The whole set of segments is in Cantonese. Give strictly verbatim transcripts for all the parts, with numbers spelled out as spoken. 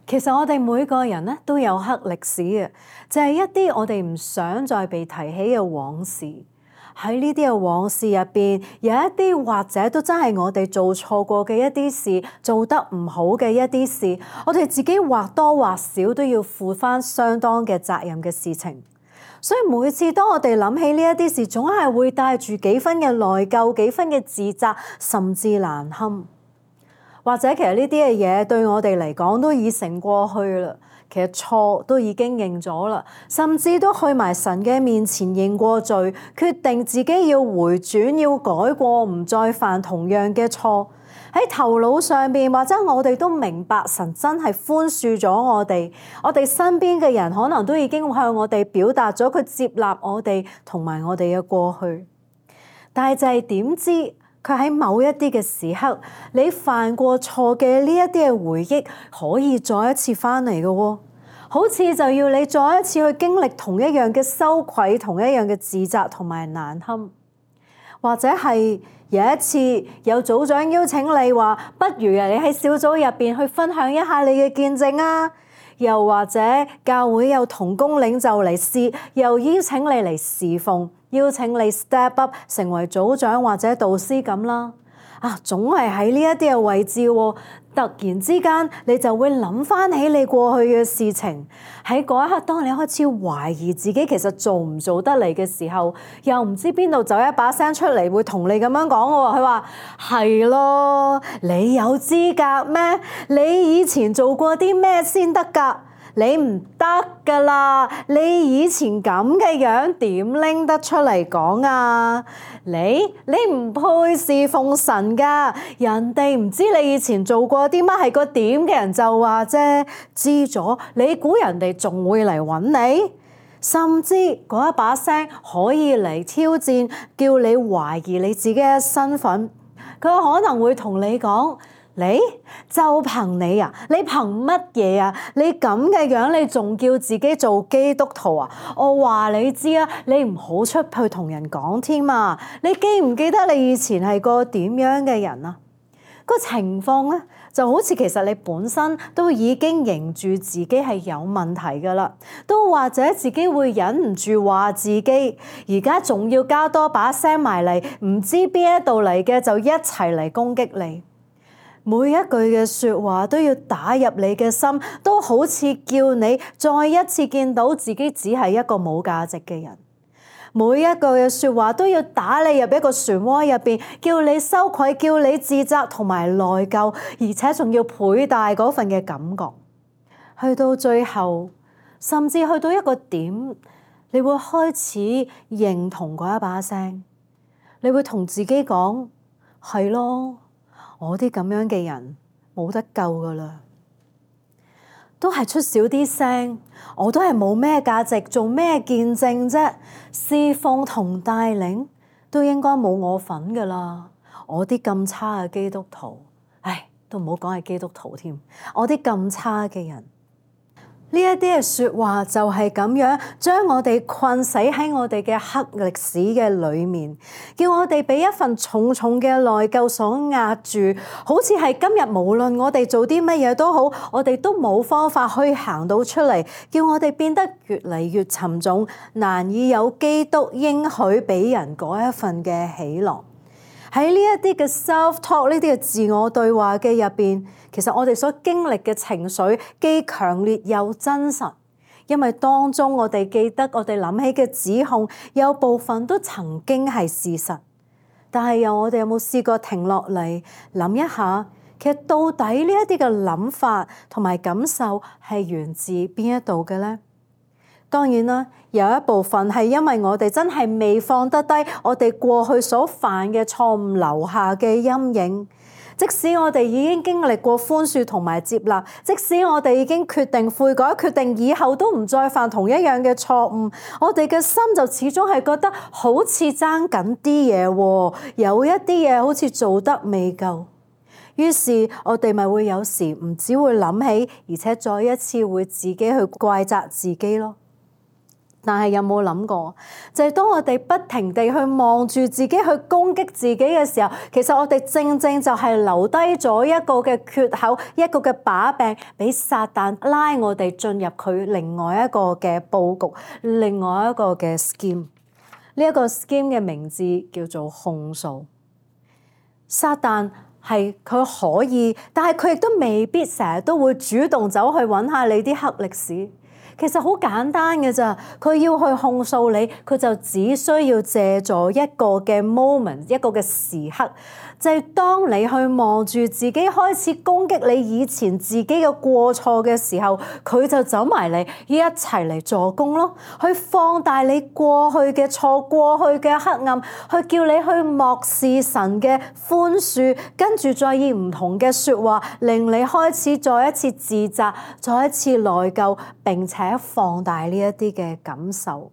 其實我哋每個人咧都有黑歷史嘅，就係一啲我哋唔想再被提起嘅往事。喺呢啲嘅往事入邊，有一啲或者都真係我哋做錯過嘅一啲事，做得唔好嘅一啲事，我哋自己或多或少都要負翻相當嘅責任嘅事情。所以每次當我哋諗起呢一啲事，總係會帶住幾分嘅內疚、幾分嘅自責，甚至難堪。或者其實呢啲嘅嘢對我哋嚟講都已成過去啦，其實錯都已經認咗啦，甚至都去埋神嘅面前認過罪，決定自己要回轉、要改過，唔再犯同樣嘅錯。喺頭腦上邊，或者我哋都明白神真係寬恕咗我哋，我哋身邊嘅人可能都已經向我哋表達咗佢接納我哋同埋我哋嘅過去，但係就係點知佢喺某一啲嘅時刻，你犯過錯嘅呢一啲嘅回憶可以再一次翻嚟嘅喎，好似就要你再一次去經歷同一樣嘅羞愧、同一樣嘅自責同埋難堪。或者係有一次有組長邀請你話，不如啊你喺小組入邊去分享一下你嘅見證啊，又或者教會有同工領袖嚟試，又邀請你嚟侍奉，邀請你 step up 成為組長或者導師咁啦。啊，總係喺呢一啲嘅位置喎，突然之間你就會諗翻起你過去嘅事情。喺嗰一刻，當你開始懷疑自己其實做唔做得嚟嘅時候，又唔知邊度走一把聲出嚟會同你咁樣講喎。佢話係咯，你有資格咩？你以前做過啲咩先得㗎？你唔得㗎啦！你以前咁嘅樣點拎得出嚟講啊？你你唔配侍奉神㗎，人哋唔知你以前做過啲乜，係個點嘅人就話啫，知咗你估人哋仲會嚟揾你？甚至嗰一把聲可以嚟挑戰，叫你懷疑你自己嘅身份。佢可能會同你講：你就憑你啊？你憑乜嘢啊？你咁嘅樣，你仲叫自己做基督徒啊？我話你知啊，你唔好出去同人講添啊！你記唔記得你以前係個點樣嘅人啊？個情況咧，就好似其實你本身都已經認住自己係有問題噶啦，都或者自己會忍唔住話自己，而家仲要加多把聲埋嚟，唔知邊一度嚟嘅就一齊嚟攻擊你。每一句嘅說話都要打入你嘅心，都好似叫你再一次見到自己只係一個冇價值嘅人。每一句嘅說話都要打你入一個漩渦入邊，叫你羞愧，叫你自責同埋內疚，而且仲要倍大嗰份嘅感覺。去到最後，甚至去到一個點，你會開始認同嗰一把聲，你會同自己講：係咯，我啲咁樣嘅人冇得救噶啦，都係出少啲聲，我都係冇咩價值，做咩見證啫？侍奉同帶領都應該冇我份噶啦，我啲咁差嘅基督徒，唉，都唔好講係基督徒添，我啲咁差嘅人。呢一啲嘅說話就係咁樣將我哋困死喺我哋嘅黑歷史嘅裏面，叫我哋俾一份重重嘅內疚所壓住，好似係今日無論我哋做啲乜嘢都好，我哋都冇方法去行到出嚟，叫我哋變得越嚟越沉重，難以有基督應許俾人嗰一份嘅喜樂。喺呢一啲嘅 self-talk， 呢啲嘅自我對話嘅入邊，其實我哋所經歷嘅情緒既強烈又真實，因為當中我哋記得我哋諗起嘅指控，有部分都曾經係事實。但係又我哋有冇試過停落嚟諗一下，其實到底呢一啲嘅諗法同埋感受係源自邊一度嘅呢？當然啦，有一部分係因為我哋真係未放得低我哋過去所犯嘅錯誤留下嘅陰影。即使我哋已經經歷過寬恕同埋接納，即使我哋已經決定悔改，決定以後都唔再犯同一樣嘅錯誤，我哋嘅心就始終係覺得好似爭緊啲嘢喎，有一啲嘢好似做得未夠。於是我哋咪會有時唔只會諗起，而且再一次會自己去怪責自己咯。但係有冇諗過，就係當我哋不停地去望住自己去攻擊自己嘅時候，其實我哋正正就係留低咗一個嘅缺口，一個嘅把柄，俾撒旦拉我哋進入佢另外一個嘅佈局，另外一個嘅 scheme。呢一個 scheme 嘅名字叫做控訴。撒旦係佢可以，但係佢亦都未必成日都會主動走去揾下你啲黑歷史。其實好簡單嘅咋，佢要去控訴你，佢就只需要借助一個嘅 moment， 一個嘅時刻，就係當你去望住自己開始攻擊你以前自己嘅過錯嘅時候，佢就走埋嚟一齊嚟助攻咯，去放大你過去嘅錯、過去嘅黑暗，去叫你去漠視神嘅寬恕，跟住再以唔同嘅説話令你開始再一次自責、再一次內疚，並且放大呢一啲嘅感受，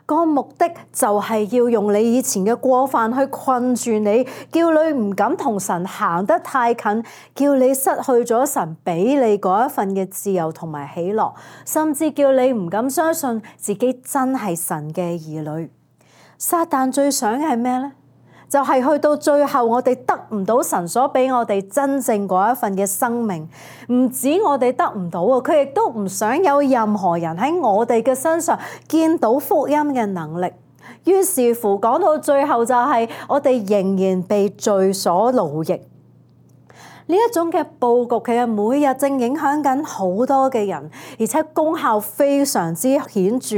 個目的就係要用你以前嘅過犯去困住你，叫你唔敢同神行得太近，叫你失去咗神俾你嗰一份嘅自由同埋喜樂，甚至叫你唔敢相信自己真係神嘅兒女。撒旦最想嘅係咩呢？就係去到最後，我哋得唔到神所俾我哋真正嗰一份嘅生命，唔止我哋得唔到啊，佢亦都唔想有任何人喺我哋嘅身上見到福音嘅能力。於是乎，講到最後就係我哋仍然被罪所奴役。呢一種嘅佈局其實每日正影響緊好多嘅人，而且功效非常之顯著。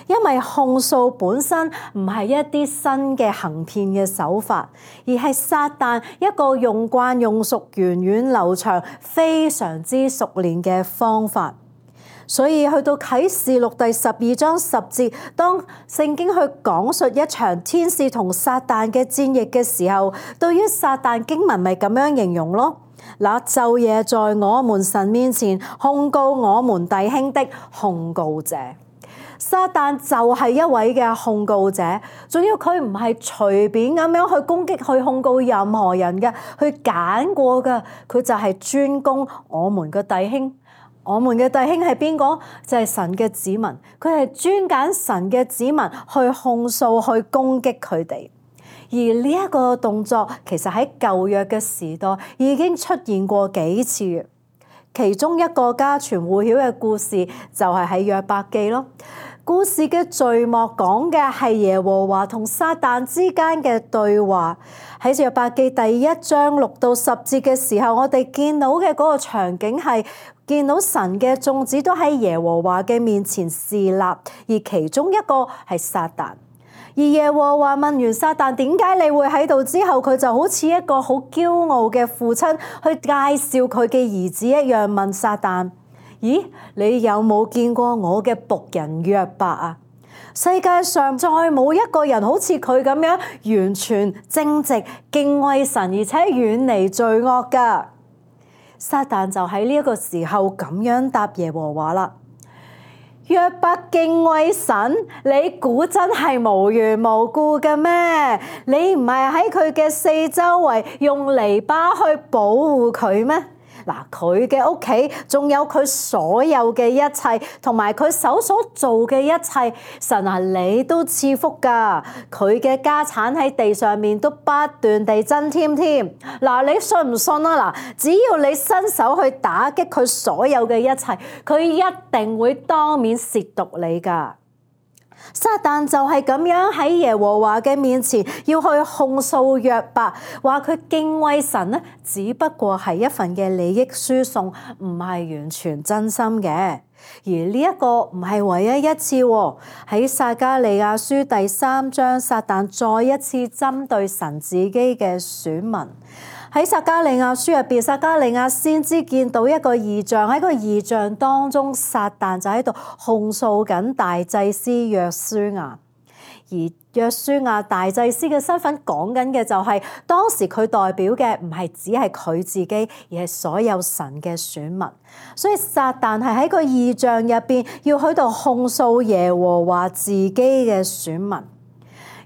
因為控訴本身唔係一啲新嘅行騙嘅手法，而係撒旦一個用慣用熟、源遠流長、非常之熟練嘅方法。所以去到啟示錄第十二章十節，當聖經去講述一場天使同撒旦嘅戰役嘅時候，對於撒旦經文咪咁樣形容咯。那晝夜在我們神面前控告我們弟兄的控告者，撒旦就係一位嘅控告者，仲要佢唔係隨便咁樣去攻擊、去控告任何人嘅，去揀過嘅，佢就係專攻我們嘅弟兄。我們嘅弟兄係邊個？就係神嘅子民，佢係專揀神嘅子民去控訴、去攻擊佢哋。而呢一個動作其實喺舊約嘅時代已經出現過幾次，其中一個家傳戶曉嘅故事就係喺約伯記咯。故事嘅序幕講嘅係耶和華同撒旦之間嘅對話。喺約伯記第一章六到十節嘅時候，我哋見到嘅嗰個場景係見到神嘅眾子都喺耶和華嘅面前侍立，而其中一個係撒旦。而耶和華問完撒旦點解你會喺度之後，佢就好似一個好驕傲嘅父親去介紹佢嘅兒子一樣，問撒旦：咦，你有冇見過我嘅僕人約伯啊？世界上再冇一個人好似佢咁樣完全正直、敬畏神，而且遠離罪惡㗎。撒旦就喺呢一個時候咁樣答耶和華啦。約伯敬畏神，你估真係無緣無故嘅咩？你唔係喺佢嘅四周圍用籬笆去保護佢咩？嗱，佢嘅屋企仲有佢所有嘅一切，同埋佢手所做嘅一切，神啊，你都賜福噶。佢嘅家產喺地上面都不斷地增添添。嗱，你信唔信啊？嗱，只要你伸手去打擊佢所有嘅一切，佢一定會當面褻瀆你噶。撒旦就係咁樣喺耶和華嘅面前要去控訴約伯，話佢敬畏神咧，只不過係一份嘅利益輸送，唔係完全真心嘅。而呢一個唔係唯一一次喎，喺撒迦利亞書第三章，撒旦再一次針對神自己嘅選民。喺撒迦利亞書入邊，撒迦利亞先知見到一個異象，喺個異象當中，撒旦就喺度控訴緊大祭司約書亞。而約書亞大祭司嘅身份講緊嘅就係、是、當時佢代表嘅唔係只係佢自己，而係所有神嘅選民。所以撒旦係喺個異象入邊要喺度控訴耶和華自己嘅選民。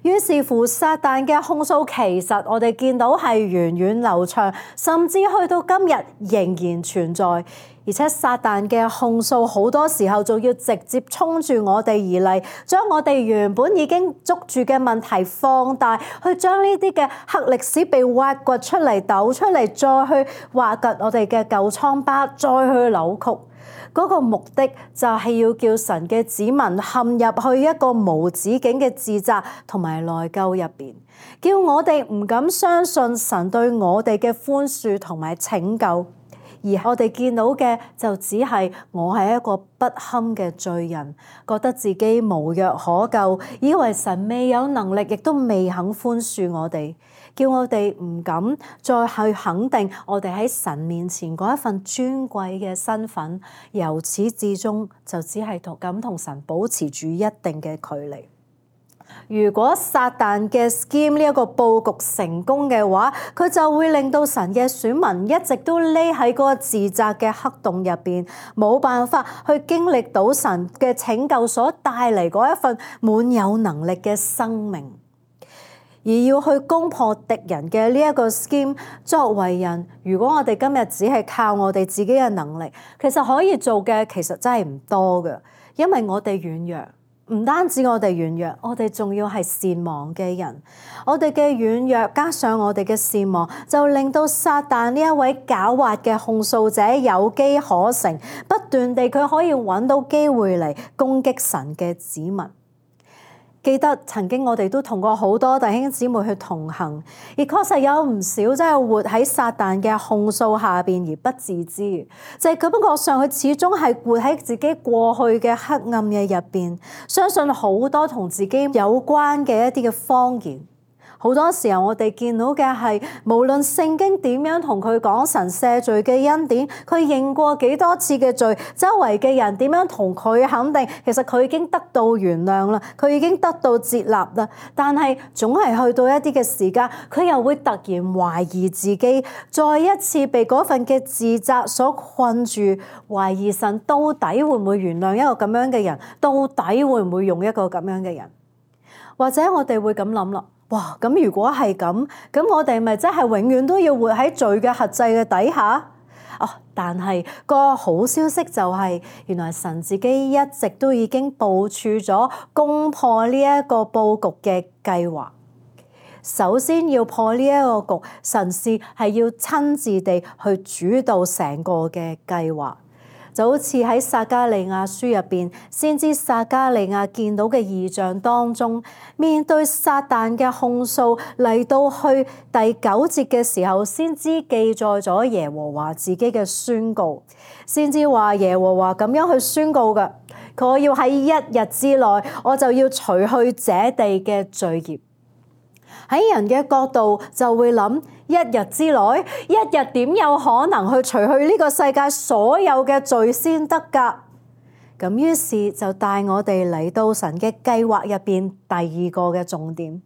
於是乎，撒旦嘅控訴其實我哋見到係源遠流長，甚至去到今日仍然存在。而且撒旦嘅控訴好多時候仲要直接衝住我哋而嚟，將我哋原本已經捉住嘅問題放大，去將呢啲嘅黑歷史被挖掘出嚟、抖出嚟，再去挖掘我哋嘅舊瘡疤，再去扭曲。嗰個目的就係要叫神嘅子民陷入去一個無止境嘅自責同埋內疚入邊，叫我哋唔敢相信神對我哋嘅寬恕同埋拯救，而我哋見到嘅就只係我係一個不堪嘅罪人，覺得自己無藥可救，以為神未有能力，亦都未肯寬恕我哋。叫我哋唔敢再去肯定我哋喺神面前嗰一份尊貴嘅身份，由始至終就只係同咁同神保持住一定嘅距離。如果撒旦嘅 scheme 呢一個佈局成功嘅話，佢就會令到神嘅選民一直都匿喺嗰個自責嘅黑洞入邊，冇辦法去經歷到神嘅拯救所帶嚟嗰一份滿有能力嘅生命。而要去攻破敵人嘅呢一個 scheme， 作為人，如果我哋今日只係靠我哋自己嘅能力，其實可以做嘅其實真係唔多嘅，因為我哋軟弱，唔單止我哋軟弱，我哋仲要係善忘嘅人。我哋嘅軟弱加上我哋嘅善忘，就令到撒旦呢一位狡猾嘅控訴者有機可乘，不斷地佢可以揾到機會嚟攻擊神嘅子民。記得曾經我哋都同過好多弟兄姊妹去同行，而確實有唔少真係活喺撒旦嘅控訴下邊而不自知，就係感覺上佢始終係活喺自己過去嘅黑暗嘅入邊，相信好多同自己有關嘅一啲嘅謊言。好多時候我哋見到嘅係，無論聖經點樣同佢講神赦罪嘅恩典，佢認過幾多次嘅罪，周圍嘅人點樣同佢肯定，其實佢已經得到原諒啦，佢已經得到接納啦。但係總係去到一啲嘅時間，佢又會突然懷疑自己，再一次被嗰份嘅自責所困住，懷疑神到底會唔會原諒一個咁樣嘅人，到底會唔會用一個咁樣嘅人？或者我哋會咁諗啦。哇！咁如果係咁，咁我哋咪真係永遠都要活喺罪嘅轄制嘅底下？哦！但係個好消息就係，原來神自己一直都已經部署咗攻破呢一個佈局嘅計劃。首先要破呢一個局，神是係要親自地去主導成個嘅計劃。就好似喺撒迦利亞書入邊，先知撒迦利亞見到嘅異象當中，面對撒旦嘅控訴，嚟到去第九節嘅時候，先知記載咗耶和華自己嘅宣告。先知話耶和華咁樣去宣告嘅，佢要喺一日之內，我就要除去這地嘅罪孽。喺人嘅角度就會諗，一日之內，一日點有可能去除去呢個世界所有嘅罪先得㗎？咁於是就帶我哋嚟到神嘅計劃入邊第二個嘅重點，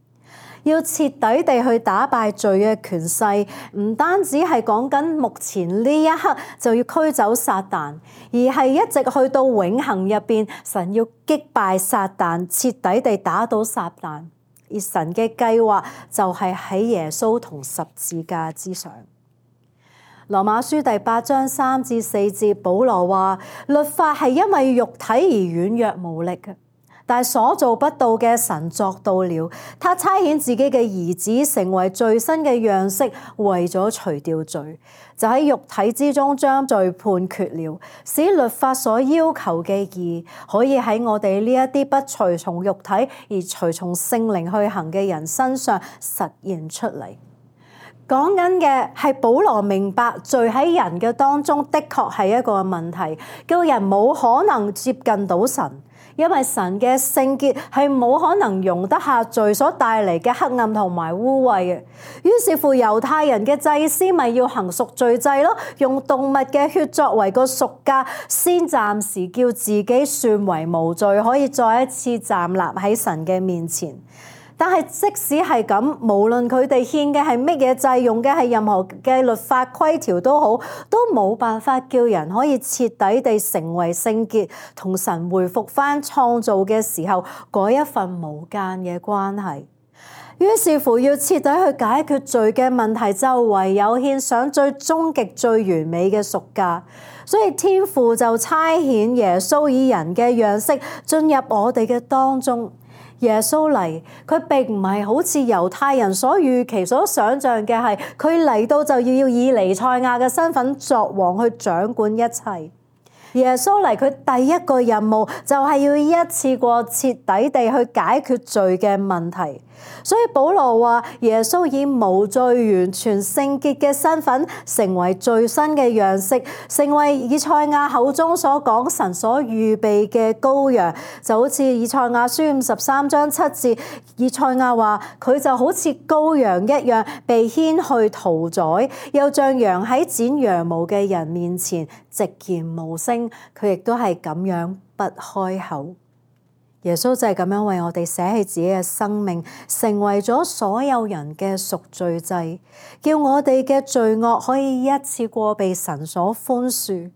要徹底地去打敗罪嘅權勢，唔單止係講緊目前呢一刻就要驅走撒旦，而係一直去到永恆入邊，神要擊敗撒旦，徹底地打倒撒旦。而神嘅計劃就係喺耶穌同十字架之上。羅馬書第八章三至四節，保羅話：律法係因為肉體而軟弱無力嘅，但係所做不到嘅神作到了。他差遣自己嘅兒子成為罪身嘅樣式，為咗除掉罪，就喺肉體之中將罪判決了，使律法所要求嘅義可以喺我哋呢一啲不隨從肉體而隨從聖靈去行嘅人身上實現出嚟。講緊嘅係保羅明白罪喺人嘅當中的確係一個問題，叫人冇可能接近到神，因為神嘅聖潔係冇可能容得下罪所帶嚟嘅黑暗同埋污穢嘅。於是乎猶太人嘅祭司咪要行贖罪祭咯，用動物嘅血作為個贖價，先暫時叫自己算為無罪，可以再一次站立喺神嘅面前。但係即使係咁，無論佢哋獻嘅係乜嘢祭，用嘅係任何嘅律法規條都好，都冇辦法叫人可以徹底地成為聖潔，同神回復翻創造嘅時候嗰一份無間嘅關係。於是乎要徹底去解決罪嘅問題，就唯有獻上最終極最完美嘅贖價。所以天父就差遣耶穌以人嘅樣式進入我哋嘅當中。耶穌嚟，佢並唔係好似猶太人所預期所想像嘅係，佢嚟到就要要以彌賽亞嘅身份作王去掌管一切。耶穌嚟，佢第一個任務就係要一次過徹底地去解決罪嘅問題。所以保羅話耶穌以無罪完全聖潔嘅身份成為罪身嘅樣式，成為以賽亞口中所講神所預備嘅羔羊。就好似以賽亞書五十三章七節，以賽亞話佢就好似羔羊一樣被牽去屠宰，又像羊喺剪羊毛嘅人面前寂然無聲，佢亦都係咁樣不開口。耶穌就係咁樣為我哋捨棄自己嘅生命，成為咗所有人嘅贖罪祭，叫我哋嘅罪惡可以一次過被神所寬恕。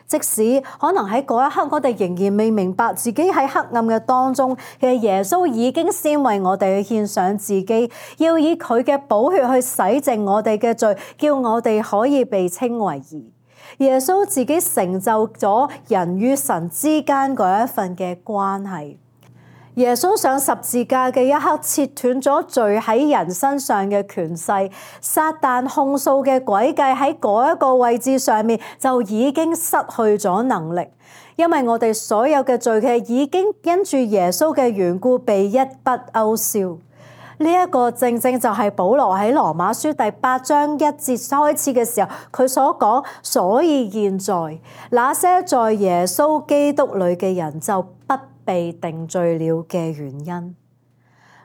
即使可能喺嗰一刻我哋仍然未明白自己喺黑暗嘅當中，其實耶穌已經先為我哋去獻上自己，要以佢嘅寶血去洗淨我哋嘅罪，叫我哋可以被稱為義。耶穌自己成就咗人與神之間嗰一份嘅關係。耶穌上十字架嘅一刻，切斷咗罪喺人身上嘅權勢，撒旦控訴嘅詭計喺嗰一個位置上面就已經失去咗能力，因為我哋所有嘅罪嘅已經因住耶穌嘅緣故被一筆勾銷。呢一個正正就係保羅喺羅馬書第八章一節開始嘅時候，佢所講，所以現在那些在耶穌基督裏嘅人就不被定罪了嘅原因。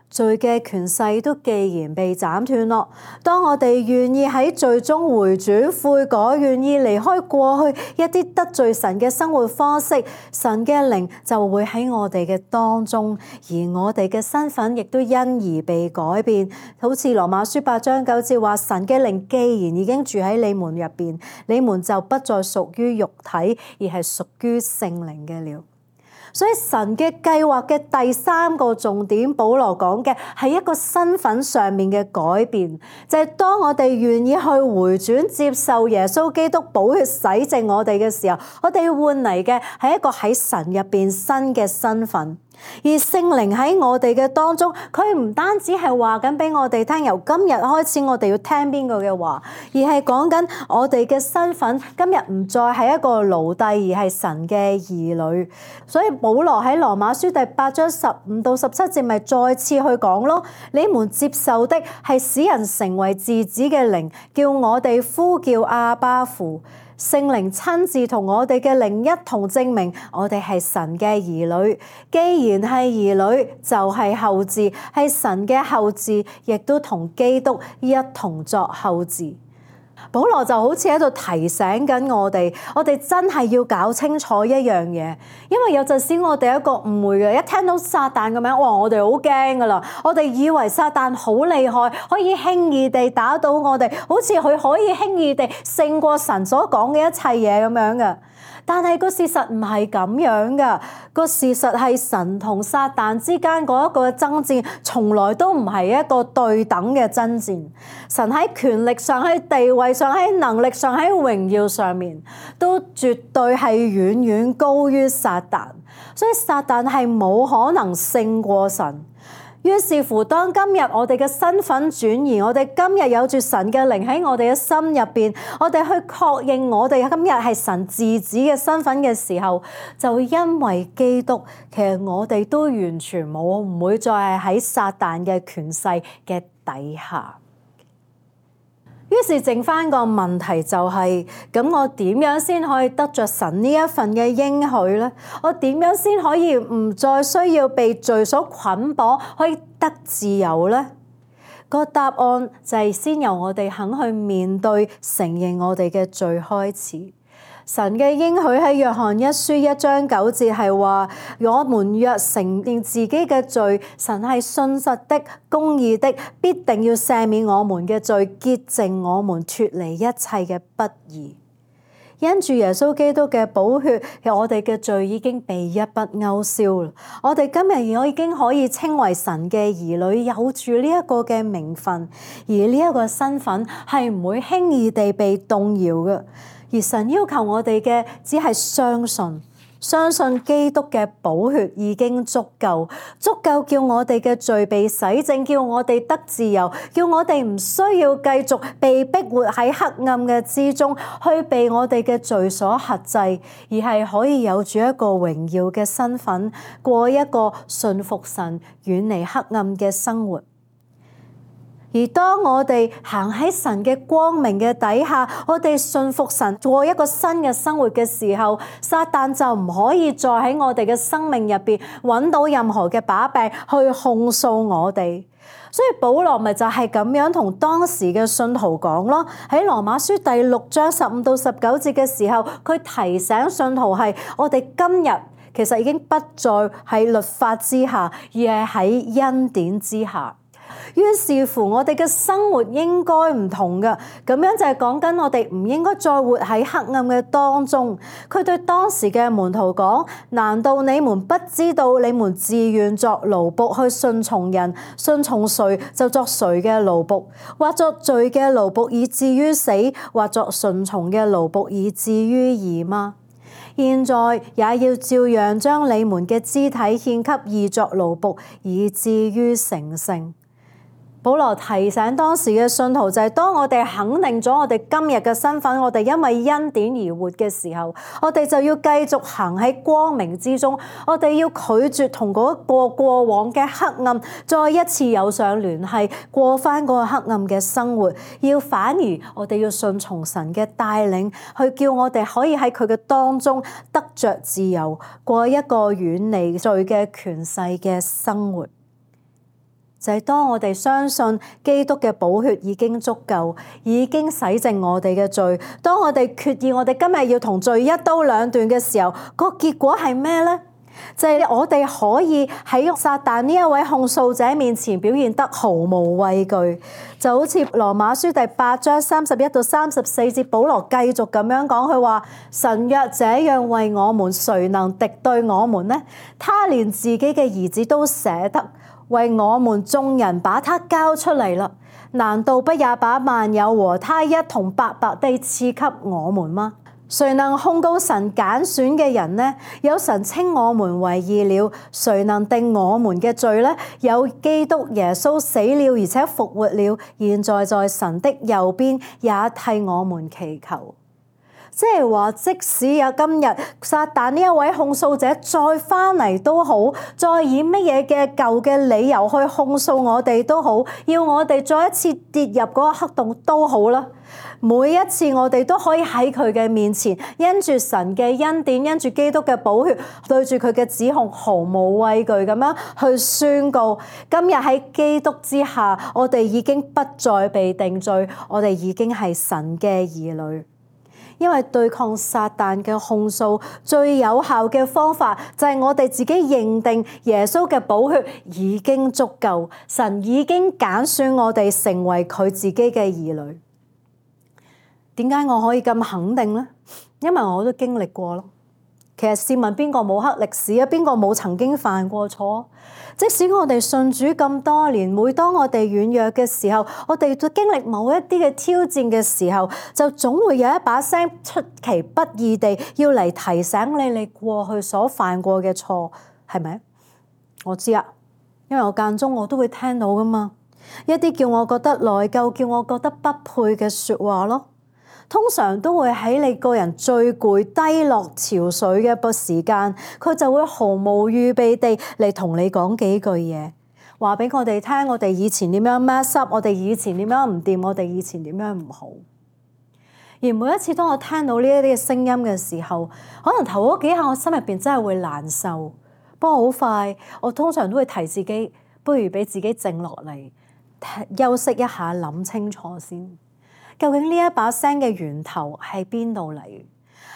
罪嘅權勢都既然被斬斷咯，當我哋願意喺罪中回轉悔改，願意離開過去一啲得罪神嘅生活方式，神嘅靈就會喺我哋嘅當中，而我哋嘅身份亦都因而被改變。好似羅馬書八章九節話，神嘅靈既然已經住喺你們入邊，你們就不再屬於肉體，而係屬於聖靈嘅了。所以神嘅計劃嘅第三個重點，保羅講嘅係一個身份上面嘅改變，就係當我哋願意去回轉接受耶穌基督寶血洗淨我哋嘅時候，我哋換嚟嘅係一個喺神入邊新嘅身份。而聖靈喺我哋嘅當中，佢唔單止係話緊俾我哋聽，由今日開始我哋要聽邊個嘅話，而係講緊我哋嘅身份今日唔再係一個奴隸，而係神嘅兒女。所以保羅喺羅馬書第八章十五到十七節咪再次去講咯，你們接受的係使人成為嗣子嘅靈，叫我哋呼叫阿爸父。聖靈親自同我哋嘅靈一同證明我哋係神嘅兒女。既然係兒女，就係後嗣，係神嘅後嗣，亦都同基督一同作後嗣。保羅就好似喺度提醒緊我哋，我哋真係要搞清楚一樣嘢，因為有陣時我哋一個誤會嘅，一聽到撒旦嘅名，哇！我哋好驚噶啦，我哋以為撒旦好厲害，可以輕易地打倒我哋，好似佢可以輕易地勝過神所講嘅一切嘢咁樣嘅。但係個事實唔係咁樣噶，個事實係神同撒旦之間嗰一個爭戰，從來都唔係一個對等嘅爭戰。神喺權力上、喺地位上、喺能力上、喺榮耀上面，都絕對係遠遠高於撒旦，所以撒旦係冇可能勝過神。於是乎，當今日我哋嘅身份轉移，我哋今日有住神嘅靈喺我哋嘅心入邊，我哋去確認我哋今日係神嗣子嘅身份嘅時候，就因為基督，其實我哋都完全冇唔會再係喺撒旦嘅權勢嘅底下。於是剩翻個問題就係，咁我點樣先可以得着神呢一份嘅應許呢？我點樣先可以唔再需要被罪所捆綁，可以得自由呢？個答案就係先由我哋肯去面對、承認我哋嘅罪開始。神嘅應許喺約翰一書一章九節係話，我們若承認自己嘅罪，神係信實的、公義的，必定要赦免我們嘅罪，潔淨我們脫離一切嘅不義。因住耶穌基督嘅寶血，我哋嘅罪已經被一筆勾銷啦。我哋今日我已經可以稱為神嘅兒女，有住呢一個嘅名分，而呢一個身份係唔會輕易地被動搖嘅。而神要求我哋嘅只係相信。相信基督嘅寶血已經足夠，足夠叫我哋嘅罪被洗淨，叫我哋得自由，叫我哋唔需要繼續被逼活喺黑暗嘅之中，去被我哋嘅罪所轄制，而係可以有住一個榮耀嘅身份，過一個順服神、遠離黑暗嘅生活。而當我哋行喺神嘅光明嘅底下，我哋信服神，過一個新嘅生活嘅時候，撒旦就唔可以再喺我哋嘅生命入邊揾到任何嘅把柄去控訴我哋。所以保羅咪就係咁樣同當時嘅信徒講咯，喺羅馬書第六章十五到十九節嘅時候，佢提醒信徒係我哋今日其實已經不再喺律法之下，而係喺恩典之下。於是乎，我哋嘅生活應該唔同㗎，咁樣就係講緊我哋唔應該再活喺黑暗嘅當中。佢對當時嘅門徒講：難道你們不知道你們自願作奴僕去順從人，順從誰就作誰嘅奴僕，或作罪嘅奴僕以至於死，或作順從嘅奴僕以至於義嗎？現在也要照樣將你們嘅肢體獻給義作奴僕，以至於成聖。保羅提醒當時嘅信徒就係當我哋肯定咗我哋今日嘅身份，我哋因為恩典而活嘅時候，我哋就要繼續行喺光明之中，我哋要拒絕同嗰個過往嘅黑暗再一次有上聯繫，過翻嗰個黑暗嘅生活，要反而我哋要順從神嘅帶領，去叫我哋可以喺佢嘅當中得着自由，過一個遠離罪嘅權勢嘅生活。就係當我哋相信基督嘅寶血已經足夠，已經洗淨我哋嘅罪。當我哋決意我哋今日要同罪一刀兩斷嘅時候，個結果係咩呢？就係我哋可以喺撒旦呢一位控訴者面前表現得毫無畏懼。就好似羅馬書第八章三十一到三十四節，保羅繼續咁樣講，佢話：神若這樣為我們，誰能敵對我們呢？他連自己嘅兒子都捨得，為我們眾人把他交出嚟啦，難道不也把萬有和他一同白白地賜給我們嗎？誰能控告神揀選嘅人呢？有神稱我們為義了，誰能定我們嘅罪呢？有基督耶穌死了而且復活了，現在在神的右邊，也替我們祈求。即係話，即使有今日撒旦呢一位控訴者再翻嚟都好，再以乜嘢嘅舊嘅理由去控訴我哋都好，要我哋再一次跌入嗰個黑洞都好啦。每一次我哋都可以喺佢嘅面前，因住神嘅恩典，因住基督嘅寶血，對住佢嘅指控毫無畏懼咁樣去宣告：今日喺基督之下，我哋已經不再被定罪，我哋已經係神嘅兒女。因為對抗撒旦嘅控訴最有效嘅方法就係我哋自己認定耶穌嘅寶血已經足夠，神已經揀選我哋成為佢自己嘅兒女。點解我可以咁肯定呢？因為我都經歷過咯。其實試問邊個冇黑歷史啊？邊個冇曾經犯過錯？即使我哋信主咁多年，每當我哋軟弱嘅時候，我哋都經歷某一啲嘅挑戰嘅時候，就總會有一把聲出其不意地要嚟提醒你你過去所犯過嘅錯，係咪？我知啊，因為我間中我都會聽到噶嘛，一啲叫我覺得內疚、叫我覺得不配嘅說話咯。通常都會喺你個人最攰、低落、潮水嘅個時間，佢就會毫無預備地嚟同你講幾句嘢，話俾我哋聽，我哋以前點樣 mess up，我哋以前點樣唔掂，我哋以前點樣唔好。而每一次當我聽到呢一啲嘅聲音嘅時候，可能頭嗰幾下我心入邊真係會難受，不過好快，我通常都會提自己，不如俾自己靜落嚟，休息一下，諗清楚先。究竟呢一把聲嘅源頭係邊度嚟？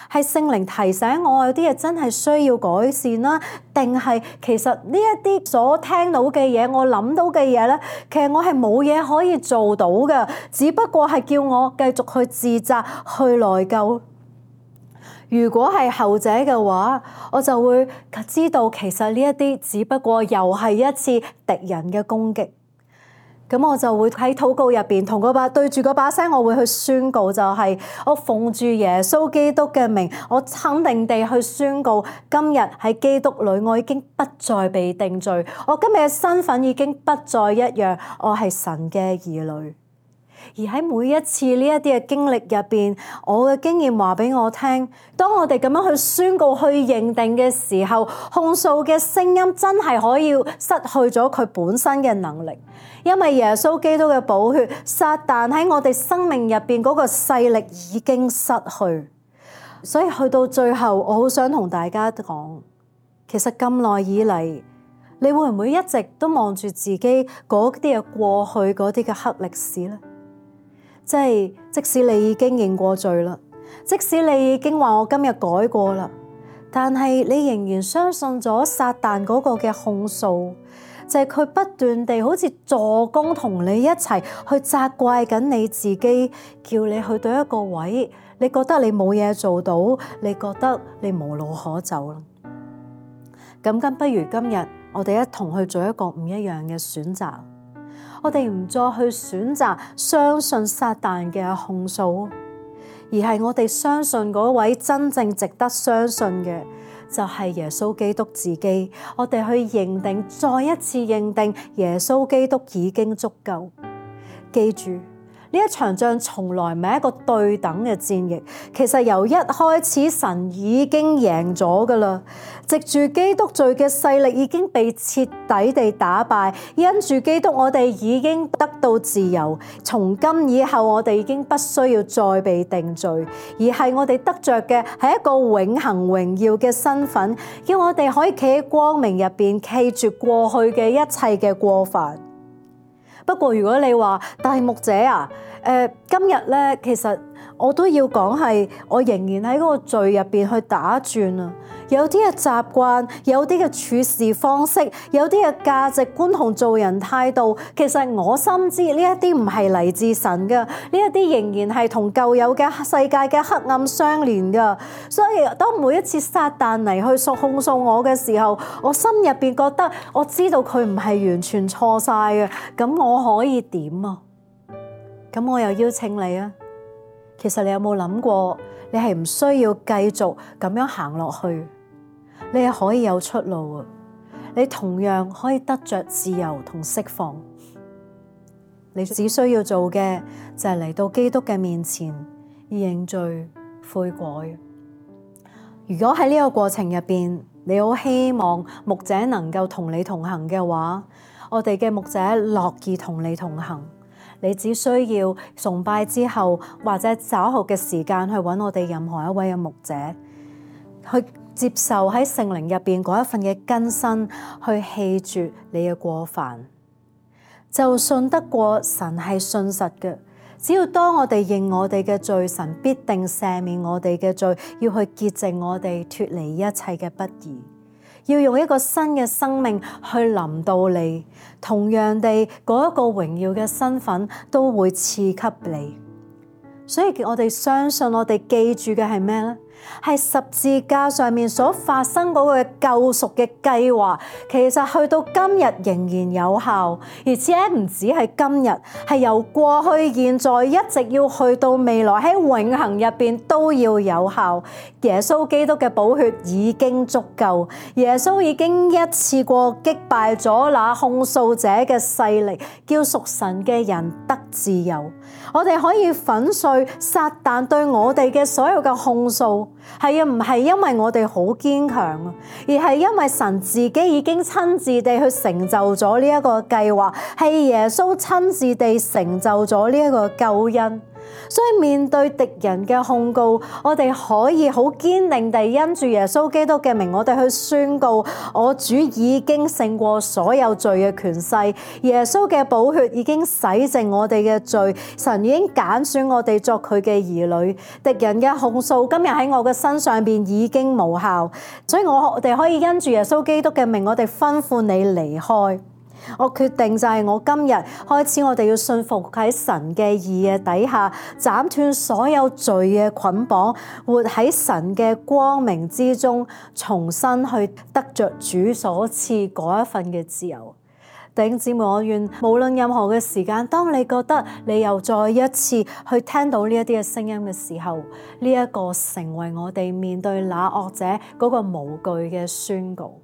係聖靈提醒我有啲嘢真係需要改善啦，定係其實呢一啲所聽到嘅嘢，我諗到嘅嘢咧，其實我係冇嘢可以做到嘅，只不過係叫我繼續去自責、去內疚。如果係後者嘅話，我就會知道其實呢一啲只不過又係一次敵人嘅攻擊。咁我就會喺禱告入邊同嗰把對住嗰把聲，我會去宣告，就係我奉住耶穌基督嘅名，我肯定地去宣告，今日喺基督裏，我已經不再被定罪，我今日嘅身份已經不再一樣，我係神嘅兒女。而喺每一次呢一啲嘅經歷入邊，我嘅經驗話俾我聽，當我哋咁樣去宣告、去認定嘅時候，控訴嘅聲音真係可以失去咗佢本身嘅能力，因為耶穌基督嘅寶血，撒旦喺我哋生命入邊嗰個勢力已經失去。所以去到最後，我好想同大家講，其實咁耐以嚟，你會唔會一直都望住自己嗰啲嘅過去嗰啲嘅黑歷史呢？即係即使你已經認過罪啦，即使你已經話我今日改過啦，但係你仍然相信咗撒旦嗰個嘅控訴，就係佢不斷地好似助攻同你一齊去責怪緊你自己，叫你去到一個位，你覺得你冇嘢做到，你覺得你無路可走啦。咁咁不如今日我哋一同去做一個唔一樣嘅選擇。我哋唔再去選擇相信撒旦嘅控訴，而係我哋相信嗰位真正值得相信嘅就係耶穌基督自己。我哋去認定，再一次認定耶穌基督已經足夠。記住，呢一場仗從來唔係一個對等嘅戰役，其實由一開始神已經贏咗㗎喇。藉住基督罪嘅勢力已經被徹底地打敗，因住基督我哋已經得到自由。從今以後我哋已經不需要再被定罪，而係我哋得着嘅係一個永恆榮耀嘅身份，叫我哋可以企喺光明入邊，記住過去嘅一切嘅過犯。不過如果你話大牧者啊，誒、呃、今日咧，其實我都要講係，我仍然喺嗰個罪入邊去打轉啊。有啲嘅習慣，有啲嘅處事方式，有啲嘅價值觀同做人態度，其實我深知呢一啲唔係嚟自神嘅，呢一啲仍然係同舊有嘅世界嘅黑暗相連嘅。所以當每一次撒旦嚟去訴控訴我嘅時候，我心入邊覺得我知道佢唔係完全錯晒嘅，咁我可以點啊？咁我又邀請你啊，其實你有冇諗過，你係唔需要繼續咁樣行落去，你係可以有出路啊！你同樣可以得着自由同釋放。你只需要做嘅就係嚟到基督嘅面前，認罪悔改。如果喺呢個過程入邊，你好希望牧者能夠同你同行嘅話，我哋嘅牧者樂意同你同行。你只需要崇拜之後或者稍後嘅時間去揾我哋任何一位嘅牧者，去接受喺聖靈入邊嗰一份嘅更新，去棄絕你嘅過犯，就信得過神係信實嘅。只要當我哋認我哋嘅罪，神必定赦免我哋嘅罪，要去潔淨我哋，脫離一切嘅不義。要用一個新嘅生命去臨到你，同樣地嗰一個榮耀嘅身份都會賜給你。所以我哋相信，我哋記住嘅係咩呢？係十字架上面所發生嗰個救贖嘅計劃，其實去到今日仍然有效，而且唔止係今日，係由過去、現在一直要去到未來，喺永恆入邊都要有效。耶穌基督嘅寶血已經足夠，耶穌已經一次過擊敗咗那控訴者嘅勢力，叫屬神嘅人得自由。我哋可以粉碎撒旦對我哋嘅所有嘅控訴。係啊，唔係因為我哋好堅強啊，而係因為神自己已經親自地去成就咗呢一個計劃，係耶穌親自地成就咗呢一個救恩。所以面對敵人嘅控告，我哋可以好堅定地因住耶穌基督嘅名，我哋去宣告：我主已經勝過所有罪嘅權勢，耶穌嘅寶血已經洗淨我哋嘅罪，神已經揀選我哋作佢嘅兒女。敵人嘅控訴今日喺我嘅身上邊已經無效，所以我我哋可以因住耶穌基督嘅名，我哋吩咐你離開。我決定就係我今日開始，我哋要信服喺神嘅義嘅底下，斬斷所有罪嘅捆綁，活喺神嘅光明之中，重新去得着主所賜嗰一份嘅自由。弟兄姊妹，我願無論任何嘅時間，當你覺得你又再一次去聽到呢一啲嘅聲音嘅時候，呢一個成為我哋面對那惡者嗰個無懼嘅宣告。